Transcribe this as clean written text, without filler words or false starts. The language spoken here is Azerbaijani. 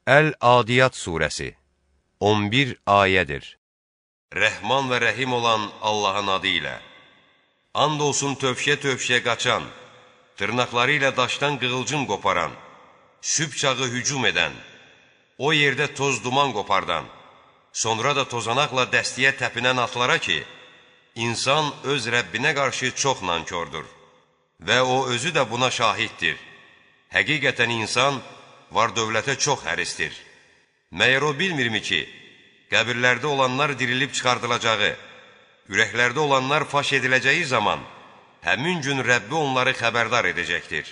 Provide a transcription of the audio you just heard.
Əl-Adiyat surəsi 11 ayədir. Rəhman və rəhim olan Allahın adı ilə. And olsun tövşə-tövşə qaçan, dırnaqları ilə daşdan qığılcım qoparan, sübh çağı hücum edən, o yerdə toz duman qopardan, sonra da tozanaqla dəstiyə təpinən atlara ki, insan öz Rəbbinə qarşı çox nankordur və o özü də buna şahiddir. Həqiqətən insan var-dövlətə çox həristir. Məyər o bilmirmi ki, qəbirlərdə olanlar dirilib çıxardılacağı, ürəklərdə olanlar faş ediləcəyi zaman, həmin gün Rəbbi onları xəbərdar edəcəkdir.